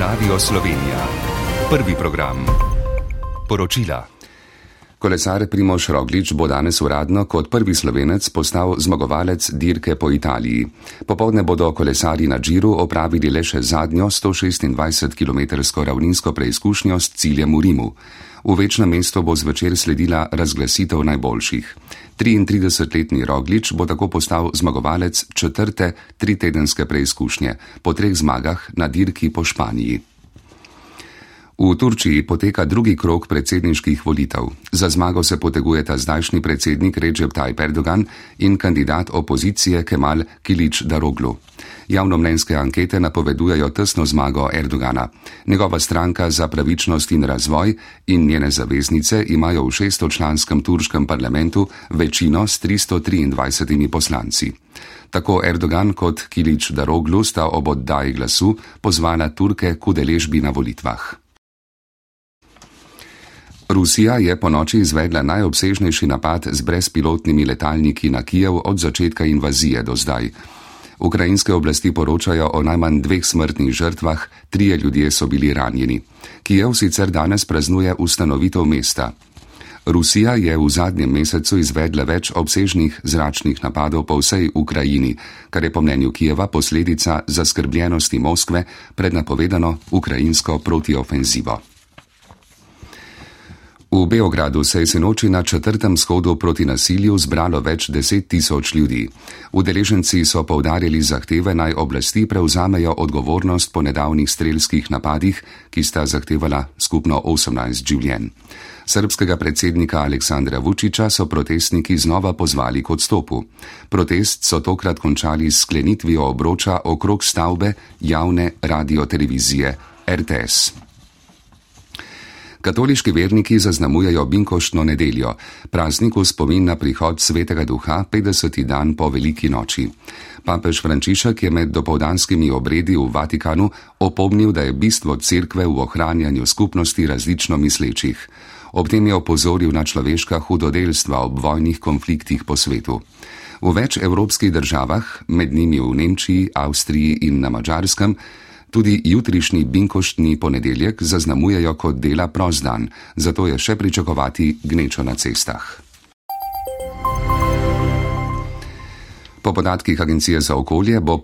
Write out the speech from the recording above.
Radio Slovenija. Prvi program. Poročila. Kolesar Primož Roglič bo danes uradno kot prvi Slovenec postal zmagovalec dirke po Italiji. Popoldne bodo kolesarji na Giru opravili le še zadnjo 126-kilometrsko ravninsko preizkušnjo s ciljem v Rimu. V večnem mestu bo zvečer sledila razglasitev najboljših. 33-letni Roglič bo tako postal zmagovalec četrte tritedenske preizkušnje po 3 zmagah na dirki po Španiji. V Turčiji poteka drugi krog predsedniških volitev. Za zmago se potegujeta zdajšnji predsednik Recep Tayyip Erdogan in kandidat opozicije Kemal Kılıçdaroğlu. Javnomnenjske ankete napovedujejo tesno zmago Erdogana. Njegova stranka Za pravičnost in razvoj in njene zaveznice imajo v 600-članskem turškem parlamentu večino s 323 poslanci. Tako Erdogan kot Kılıçdaroğlu sta ob oddaji glasu pozvala Turke k udeležbi na volitvah. Rusija je ponoči izvedla najobsežnejši napad z brezpilotnimi letalniki na Kijev od začetka invazije do zdaj. Ukrajinske oblasti poročajo o najmanj 2 smrtnih žrtvah, 3 ljudje so bili ranjeni. Kijev sicer danes praznuje ustanovitev mesta. Rusija je v zadnjem mesecu izvedla več obsežnih zračnih napadov po vsej Ukrajini, kar je po mnenju Kijeva posledica zaskrbljenosti Moskve pred napovedano ukrajinsko protiofenzivo. V Beogradu se je sinoči na 4. shodu proti nasilju zbralo več 10.000 ljudi. Udeleženci so poudarjali zahteve, naj oblasti prevzamejo odgovornost po nedavnih strelskih napadih, ki sta zahtevala skupno 18 življenj. Srbskega predsednika Aleksandra Vučića so protestniki znova pozvali k odstopu. Protest so tokrat končali s sklenitvijo obroča okrog stavbe javne radiotelevizije RTS. Katoliški verniki zaznamujejo binkoštno nedeljo, praznik v spomin na prihod Svetega Duha 50. dan po Veliki noči. Papež Frančišek je med dopoldanskimi obredi v Vatikanu opomnil, da je bistvo cerkve v ohranjanju skupnosti različno mislečih. Ob tem je opozoril na človeška hudodelstva ob vojnih konfliktih po svetu. V več evropskih državah, med njimi v Nemčiji, Avstriji in na Madžarskem, tudi jutrišnji binkoštni ponedeljek zaznamujejo kot dela prost dan, zato je še pričakovati gnečo na cestah. Po podatkih Agencije za okolje bo